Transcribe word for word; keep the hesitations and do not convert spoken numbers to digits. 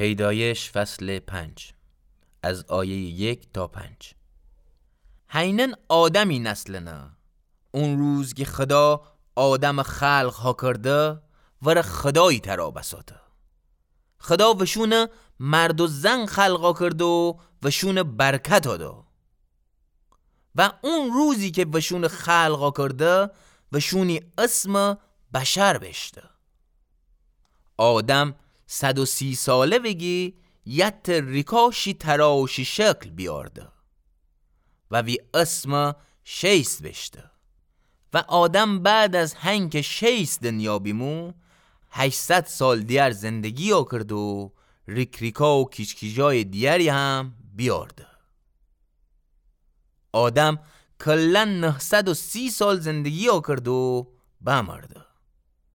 پیدایش فصل پنج، از آیهٔ یک تا پنج. هینن آدمی نسلنه. اون روز کی خدا آدم خلق ها کرده، وره خدایی ترا بساته. خدا وشونه مرد و زن خلق ها کرده و وشونه برکت ها دا. و اون روزی کی وشونه خلق ها کرده، وشونی اسم بشر بیشته. آدم صد و سی ساله ویگی یت ریکا شی ترا و شی شکل بیارده و وی اسم شیث بیشته. و آدم بعد از هنکه شیث دنیا بیمو، هشتصد سال دیگر زندگی ها کرده و ریک‌ریکا و کیج‌کیجای دیگری هم بیارده. آدم کلاً نهصد و سی سال زندگی ها کرده و بمرده.